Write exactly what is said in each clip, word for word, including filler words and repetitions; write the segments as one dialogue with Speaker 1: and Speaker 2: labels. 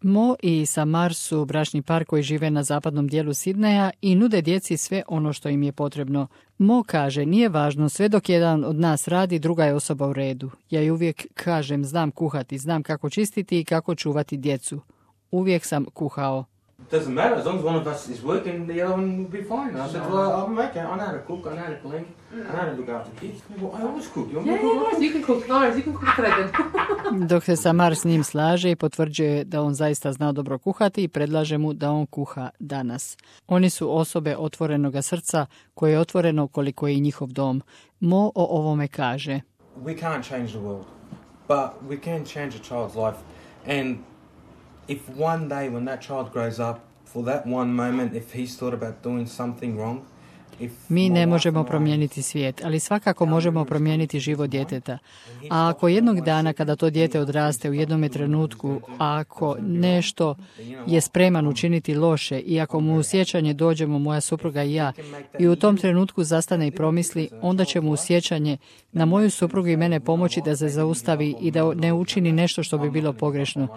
Speaker 1: Mo i Samar su bračni par koji žive na zapadnom dijelu Sidneja i nude djeci sve ono što im je potrebno. Mo kaže, nije važno, sve dok jedan od nas radi, druga je osoba u redu. Ja i uvijek kažem, znam kuhati, znam kako čistiti i kako čuvati djecu. Uvijek sam kuhao.
Speaker 2: Doesn't matter, as long as one of us is working, the other one will be fine. And I said, well, I'm okay, I know how to cook, I know how to clean, I know how to look after kids. Well, I always cook, you want me to cook?
Speaker 3: Yeah, you can cook, no, you can cook thread.
Speaker 1: Dok se Samar s njim slaže i potvrđuje da on zaista zna dobro kuhati i predlaže mu da on kuha danas. Oni su osobe otvorenoga srca koje je otvoreno koliko je i njihov dom. Mo o ovome kaže.
Speaker 2: We can't change the world, but we can change a child's life. And if one day when that child grows up, for that one moment, if he's thought about doing something wrong,
Speaker 1: Mi ne možemo promijeniti svijet, ali svakako možemo promijeniti život djeteta. A ako jednog dana kada to dijete odraste u jednom trenutku, a ako nešto je spreman učiniti loše i ako mu u sjećanje dođemo moja supruga i ja i u tom trenutku zastane i promisli, onda će mu u sjećanje na moju suprugu i mene pomoći da se zaustavi i da ne učini nešto što bi bilo pogrešno.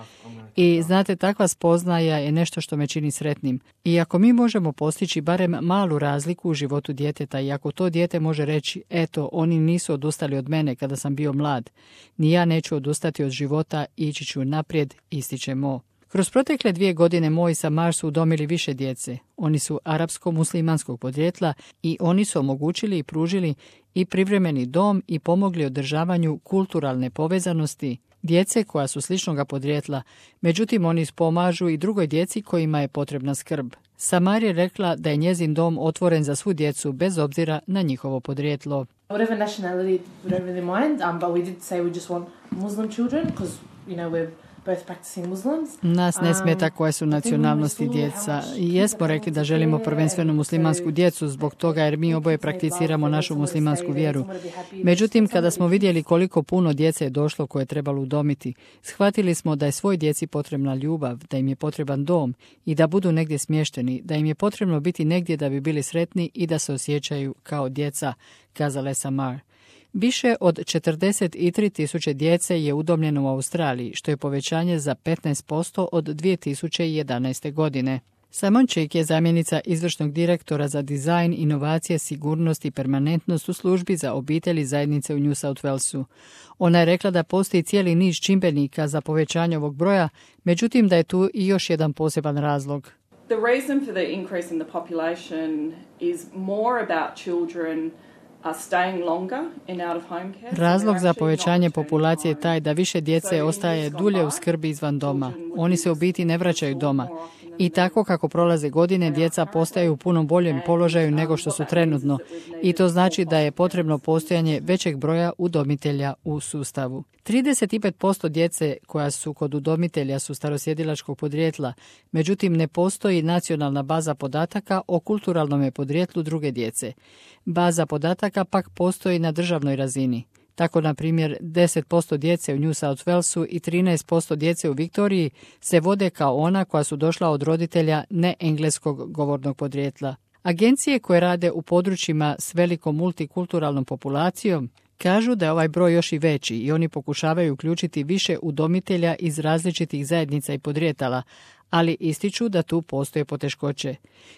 Speaker 1: I znate, takva spoznaja je nešto što me čini sretnim. I ako mi možemo postići barem malu razliku u životu djeteta i ako to dijete može reći, eto, oni nisu odustali od mene kada sam bio mlad, ni ja neću odustati od života, ići ću naprijed, ističe Mo. Kroz protekle dvije godine Mo i Samar su udomili više djece. Oni su arapsko-muslimanskog podrijetla i oni su omogućili i pružili i privremeni dom i pomogli održavanju kulturalne povezanosti djece koja su sličnoga podrijetla, međutim oni pomažu i drugoj djeci kojima je potrebna skrb. Samar je rekla da je njezin dom otvoren za svu djecu bez obzira na njihovo podrijetlo.
Speaker 3: Whatever nationality, we don't really mind, um, but we did say we just want Muslim children because, you know, we're both practicing Muslims.
Speaker 1: Nas ne smeta koje su nacionalnosti djeca. I jesmo rekli da želimo prvenstveno muslimansku djecu zbog toga jer mi oboje prakticiramo našu muslimansku vjeru. Međutim, kada smo vidjeli koliko puno djece je došlo koje je trebalo udomiti, shvatili smo da je svoj djeci potrebna ljubav, da im je potreban dom i da budu negdje smješteni, da im je potrebno biti negdje da bi bili sretni i da se osjećaju kao djeca, kazala je Samar. Više od četrdeset tri tisuće djece je udomljeno u Australiji, što je povećanje za petnaest posto od dvije tisuće jedanaeste. godine. Simon Chick je zamjenica izvršnog direktora za dizajn, inovacije, sigurnost i permanentnost u službi za obitelji zajednice u New South Walesu. Ona je rekla da postoji cijeli niz čimbenika za povećanje ovog broja, međutim da je tu i još jedan poseban razlog.
Speaker 4: The reason for the increase in the population is more about children
Speaker 1: Razlog za povećanje populacije je taj da više djece ostaje dulje u skrbi izvan doma. Oni se u biti ne vraćaju doma. I tako kako prolaze godine, djeca postaju u puno boljem položaju nego što su trenutno. I to znači da je potrebno postojanje većeg broja udomitelja u sustavu. trideset pet posto djece koja su kod udomitelja su starosjedilačkog podrijetla, međutim ne postoji nacionalna baza podataka o kulturalnom podrijetlu druge djece. Baza podataka pak postoji na državnoj razini. Tako, na primjer, deset posto djece u New South Walesu i trinaest posto djece u Viktoriji se vode kao ona koja su došla od roditelja neengleskog govornog podrijetla. Agencije koje rade u područjima s velikom multikulturalnom populacijom kažu da je ovaj broj još i veći i oni pokušavaju uključiti više udomitelja iz različitih zajednica i podrijetala, ali ističu da tu postoje poteškoće.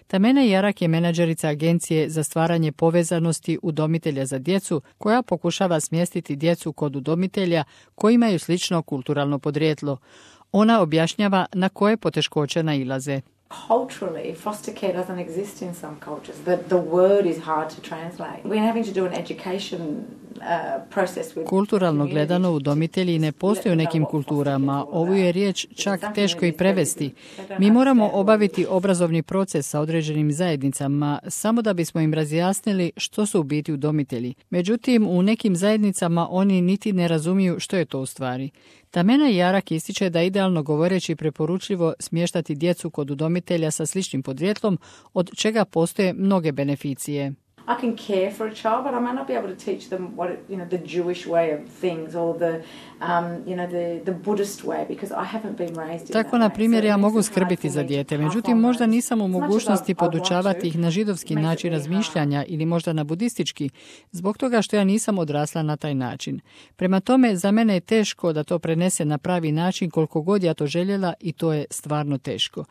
Speaker 1: Tamena Jarak je menadžerica agencije za stvaranje povezanosti udomitelja za djecu koja pokušava smjestiti djecu kod udomitelja koji imaju slično kulturalno podrijetlo. Ona objašnjava na koje poteškoće nailaze.
Speaker 5: Culturally, foster care doesn't exist in some cultures. The, the word is hard to translate. We're having to do an education uh, process with
Speaker 1: Kulturalno gledano, udomitelji ne postoje u nekim kulturama. Ovu je riječ čak teško i prevesti. Mi moramo obaviti obrazovni proces sa određenim zajednicama samo da bismo im razjasnili što su u biti udomitelji. Međutim, u nekim zajednicama oni niti ne razumiju što je to u stvari. Tamena Jarak ističe da idealno govoreći preporučljivo smještati djecu kod udomitelja sa sličnim podrijetlom, od čega postoje mnoge beneficije.
Speaker 5: I can care for a child, but I may not be able to teach them what it, you know, the Jewish way of things or the, um, you know, the, the Buddhist way, because I haven't been raised in
Speaker 1: Tako, na primjer, ja mogu skrbiti za dijete, međutim, možda nisam u mogućnosti podučavati ih na židovski način razmišljanja ili možda na budistički, zbog toga što ja nisam odrasla na taj način. Prema tome, za mene je teško da to prenese na pravi način koliko god ja to željela i to je stvarno teško.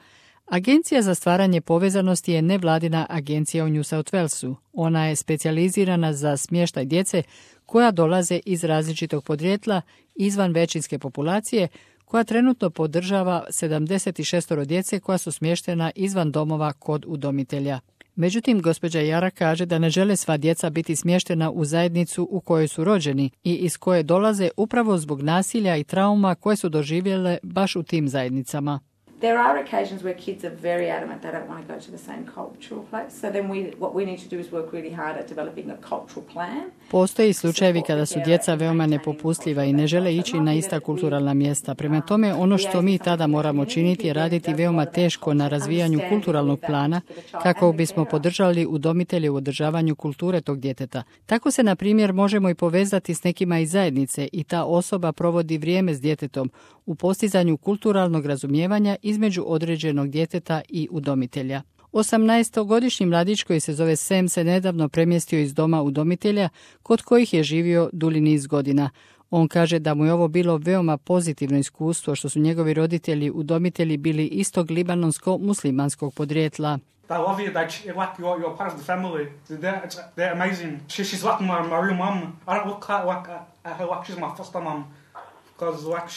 Speaker 1: Agencija za stvaranje povezanosti je nevladina agencija u New South Walesu. Ona je specijalizirana za smještaj djece koja dolaze iz različitog podrijetla izvan većinske populacije, koja trenutno podržava sedamdeset šest djece koja su smještena izvan domova kod udomitelja. Međutim, gospođa Jara kaže da ne žele sva djeca biti smještena u zajednicu u kojoj su rođeni i iz koje dolaze upravo zbog nasilja i trauma koje su doživjele baš u tim zajednicama.
Speaker 5: There are occasions where kids are very adamant they don't want to go to the same cultural place. So then we, what we need to do is work really hard at developing a cultural plan.
Speaker 1: Postoji slučajevi kada su djeca veoma nepopustljiva i ne žele ići na ista kulturalna mjesta. Prema tome, ono što mi tada moramo činiti je raditi veoma teško na razvijanju kulturalnog plana kako bismo podržali udomitelje u održavanju kulture tog djeteta. Tako se, na primjer, možemo i povezati s nekima iz zajednice i ta osoba provodi vrijeme s djetetom u postizanju kulturalnog razumijevanja između određenog djeteta i udomitelja. osamnaestogodišnji mladić koji se zove Sam se nedavno premjestio iz doma udomitelja kod kojih je živio dulji niz godina. On kaže da mu je ovo bilo veoma pozitivno iskustvo što su njegovi roditelji udomitelji bili istog libanonsko-muslimanskog podrijetla.
Speaker 6: I love you, that like you're, you're part of the family. They're, they're amazing. She, she's like my, my real mum. I don't look at, like, at her like she's my foster mum.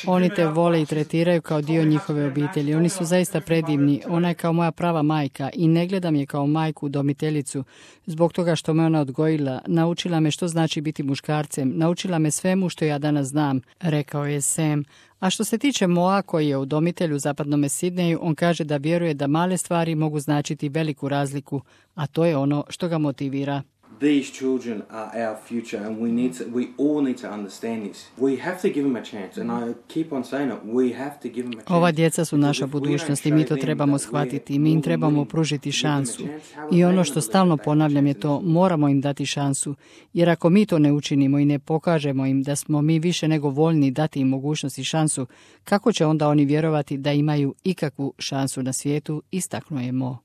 Speaker 1: Oni te vole i tretiraju kao dio njihove obitelji. Oni su zaista predivni. Ona je kao moja prava majka i ne gledam je kao majku udomiteljicu zbog toga što me ona odgojila. Naučila me što znači biti muškarcem. Naučila me svemu što ja danas znam, rekao je Sam. A što se tiče Moa, koji je udomitelj u zapadnom Sidneju, on kaže da vjeruje da male stvari mogu značiti veliku razliku, a to je ono što ga motivira.
Speaker 2: These children are our future and we need to, we all need to understand this. We have to give them a chance and I keep on saying it, we have to give them a chance.
Speaker 1: Ova djeca su naša budućnost i mi to trebamo shvatiti. Mi im trebamo pružiti šansu. I ono što stalno ponavljam je to, moramo im dati šansu. Jer ako mi to ne učinimo i ne pokažemo im da smo mi više nego voljni dati im mogućnost i šansu, kako će onda oni vjerovati da imaju ikakvu šansu na svijetu, istaknuo je Mo.